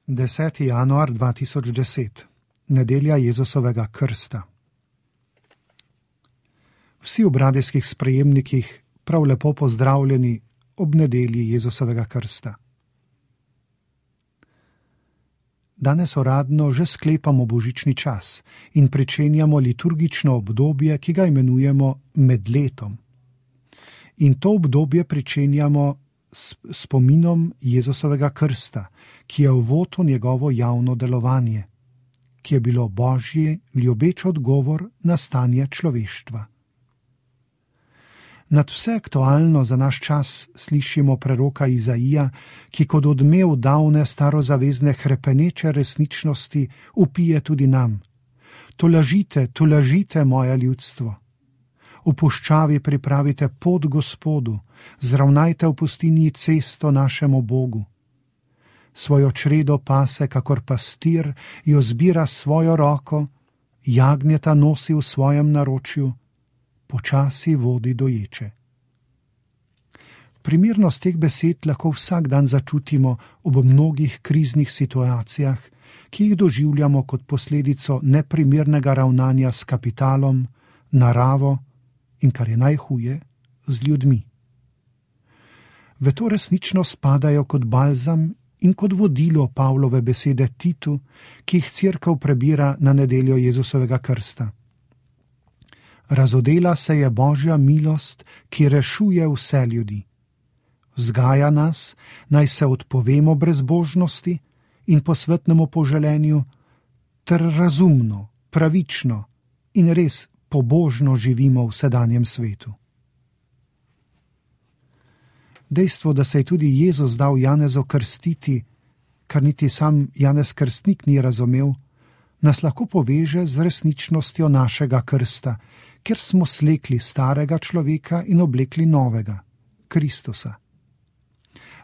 10. januar 2010. Nedelja Jezusovega krsta. Vsi v radijskih sprejemnikih prav lepo pozdravljeni ob nedelji Jezusovega krsta. Danes uradno že sklepamo božični čas in pričenjamo liturgično obdobje, ki ga imenujemo med letom. In to obdobje pričenjamo s spominom Jezusovega krsta, ki je uvod v njegovo javno delovanje, ki je bilo božji ljubeč odgovor na stanje človeštva. Nad vse aktualno za naš čas slišimo preroka Izaija, ki kot odmev davne starozavezne hrepeneče resničnosti vpije tudi nam. Tolažite moje ljudstvo. V puščavi pripravite pot Gospodu, zravnajte v pustinji cesto našemu Bogu. Svojo čredo pase, kakor pastir, jo zbira svojo roko, jagnjeta nosi v svojem naročju, počasi vodi doječe. Primernost teh besed lahko vsak dan začutimo ob mnogih kriznih situacijah, ki jih doživljamo kot posledico neprimernega ravnanja s kapitalom, naravo in, kar je najhuje, z ljudmi. V to resničnost spadajo kot balzam in kot vodilo Pavlove besede Titu, ki jih cerkev prebira na nedeljo Jezusovega krsta. Razodela se je Božja milost, ki rešuje vse ljudi. Vzgaja nas, naj se odpovemo brezbožnosti in posvetnemu poželenju, ter razumno, pravično in res pobožno živimo v sedanjem svetu. Dejstvo, da se je tudi Jezus dal Janezu krstiti, kar niti sam Janez Krstnik ni razumel, nas lahko poveže z resničnostjo našega krsta, ker smo slekli starega človeka in oblekli novega, Kristusa.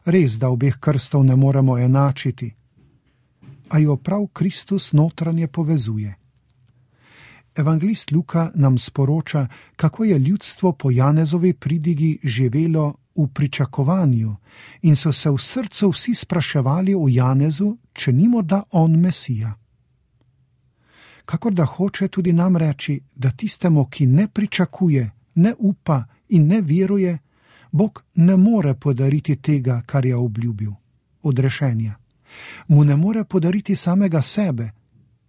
Res, da obeh krstov ne moremo enačiti, a jo prav Kristus notranje povezuje. Evangelist Luka nam sporoča, kako je ljudstvo po Janezovi pridigi živelo v pričakovanju in so se v srcu vsi spraševali o Janezu, če ni morda on Mesija. Kakor da hoče tudi nam reči, da tistemu, ki ne pričakuje, ne upa in ne veruje, Bog ne more podariti tega, kar je obljubil, odrešenja. Mu ne more podariti samega sebe,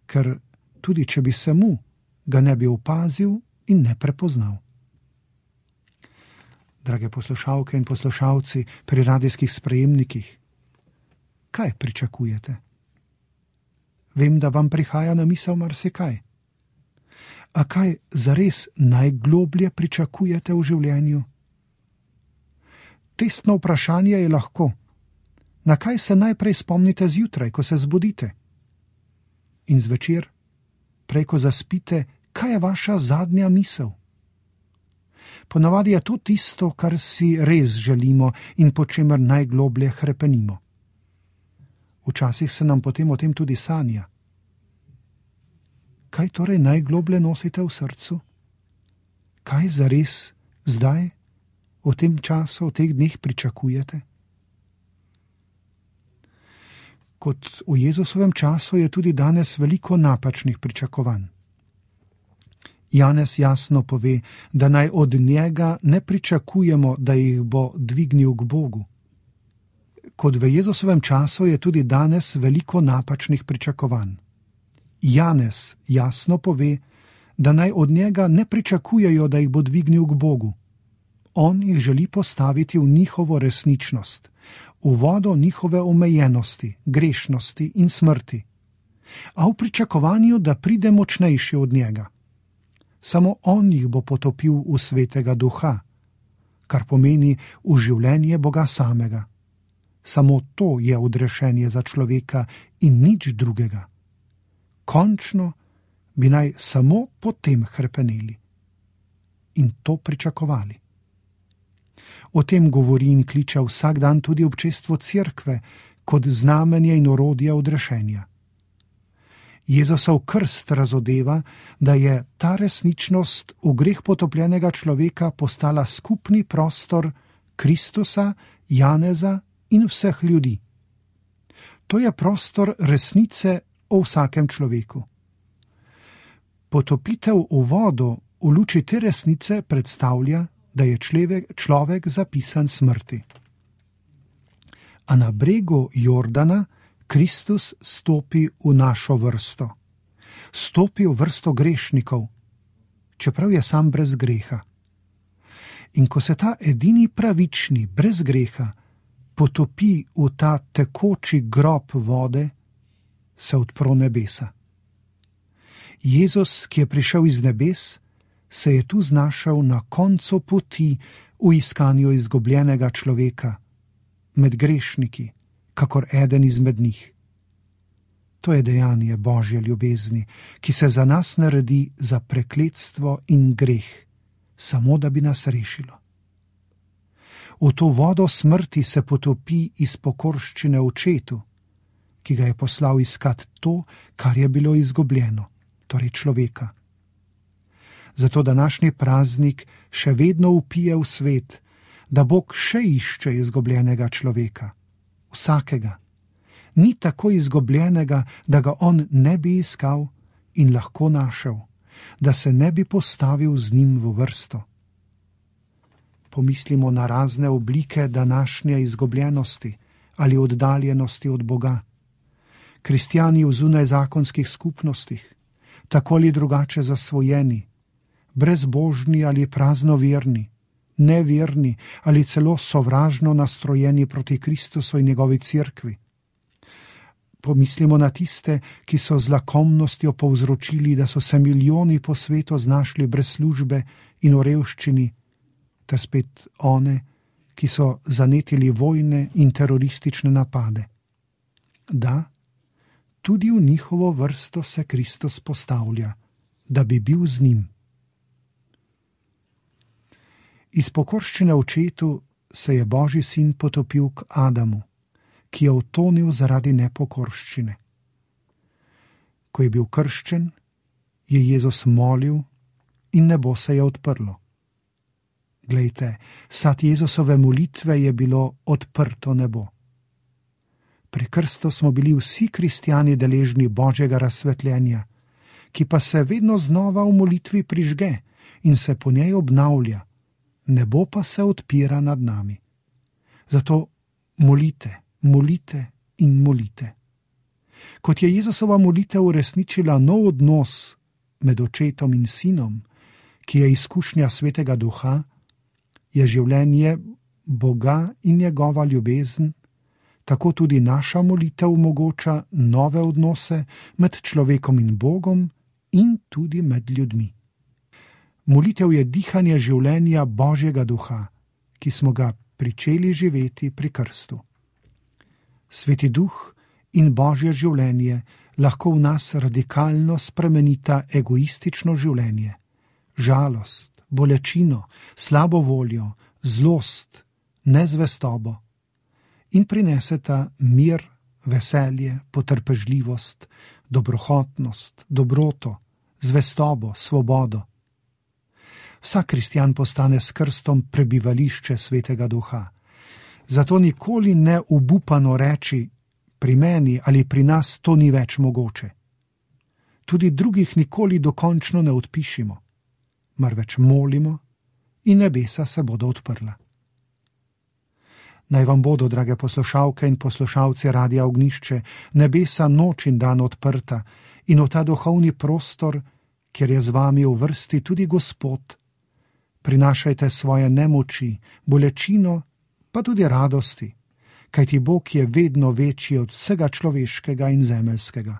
ker tudi če bi se mu, ga ne bi opazil in ne prepoznal. Drage poslušalke in poslušalci pri radijskih sprejemnikih, kaj pričakujete? Vem, da vam prihaja na misel marsikaj. A kaj zares najgloblje pričakujete v življenju? Testno vprašanje je lahko, na kaj se najprej spomnite zjutraj, ko se zbudite? In zvečer, prej ko zaspite, kaj je vaša zadnja misel? Ponavadi je to tisto, kar si res želimo in po čemer najgloblje hrepenimo. Včasih se nam potem o tem tudi sanja. Kaj torej najgloblje nosite v srcu? Kaj zares zdaj, v tem času, v teh dneh pričakujete? Kot v Jezusovem času je tudi danes veliko napačnih pričakovanj. Janez jasno pove, da naj od njega ne pričakujemo, da jih bo dvignil k Bogu. Kot v Jezusovem času je tudi danes veliko napačnih pričakovanj. Janez jasno pove, da naj od njega ne pričakujejo, da jih bo dvignil k Bogu. On jih želi postaviti v njihovo resničnost, v vodo njihove omejenosti, grešnosti in smrti, a v pričakovanju, da pride močnejši od njega. Samo on jih bo potopil v svetega duha, kar pomeni v življenje Boga samega. Samo to je odrešenje za človeka in nič drugega. Končno bi naj samo potem hrepeneli in to pričakovali. O tem govori in kliče vsak dan tudi občestvo cerkve kot znamenje in orodje odrešenja. Jezusov krst razodeva, da je ta resničnost v greh potopljenega človeka postala skupni prostor Kristusa, Janeza in vseh ljudi. To je prostor resnice o vsakem človeku. Potopitev v vodo v luči te resnice predstavlja, da je človek zapisan smrti. A na bregu Jordana Kristus stopi v našo vrsto. Stopi v vrsto grešnikov, čeprav je sam brez greha. In ko se ta edini pravični, brez greha, potopi v ta tekoči grob vode, se odpro nebesa. Jezus, ki je prišel iz nebes, se je tu znašel na koncu poti v iskanju izgubljenega človeka, med grešniki, kakor eden izmed njih. To je dejanje Božje ljubezni, ki se za nas naredi za prekletstvo in greh, samo da bi nas rešilo. V to vodo smrti se potopi iz pokorščine očetu, ki ga je poslal iskat to, kar je bilo izgubljeno, torej človeka. Zato današnji praznik še vedno vpije v svet, da Bog še išče izgubljenega človeka, vsakega. Ni tako izgubljenega, da ga on ne bi iskal in lahko našel, da se ne bi postavil z njim v vrsto. Pomislimo na razne oblike današnje izgubljenosti ali oddaljenosti od Boga. Kristjani v zunajzakonskih skupnostih, tako ali drugače zasvojeni, brezbožni ali praznoverni, neverni ali celo sovražno nastrojeni proti Kristusu in njegovi cerkvi. Pomislimo na tiste, ki so z lakomnostjo povzročili, da so se milijoni po svetu znašli brez službe in v revščini, ter spet one, ki so zanetili vojne in teroristične napade. Da, tudi v njihovo vrsto se Kristus postavlja, da bi bil z njim. Iz pokorščine očetu se je Božji sin potopil k Adamu, ki je utonil zaradi nepokorščine. Ko je bil krščen, je Jezus molil in nebo se je odprlo. Glejte, sad Jezusove molitve je bilo odprto nebo. Pri krstu smo bili vsi kristjani deležni Božjega razsvetljenja, ki pa se vedno znova v molitvi prižge in se po njej obnavlja, nebo pa se odpira nad nami. Zato molite, molite in molite. Kot je Jezusova molitev uresničila nov odnos med očetom in sinom, ki je izkušnja Svetega Duha, je življenje Boga in njegova ljubezen, tako tudi naša molitev omogoča nove odnose med človekom in Bogom in tudi med ljudmi. Molitev je dihanje življenja Božjega Duha, ki smo ga pričeli živeti pri krstu. Sveti Duh in Božje življenje lahko v nas radikalno spremenita egoistično življenje, žalost, bolečino, slabo voljo, zlost, nezvestobo in prineseta mir, veselje, potrpežljivost, dobrohotnost, dobroto, zvestobo, svobodo. Vsak kristjan postane s krstom prebivališče Svetega Duha. Zato nikoli ne obupano reči, pri meni ali pri nas to ni več mogoče. Tudi drugih nikoli dokončno ne odpišimo, marveč molimo in nebesa se bodo odprla. Naj vam bodo, drage poslušalke in poslušalci Radia Ognjišče, nebesa noč in dan odprta in v ta duhovni prostor, kjer je z vami v vrsti tudi Gospod, prinašajte svoje nemoči, bolečino, pa tudi radosti, kajti Bog je vedno večji od vsega človeškega in zemeljskega.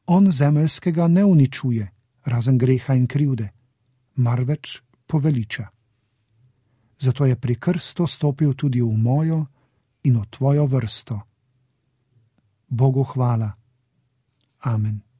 On zemeljskega ne uničuje, razen greha in krivde, marveč poveliča. Zato je pri krstu stopil tudi v mojo in v tvojo vrsto. Bogu hvala. Amen.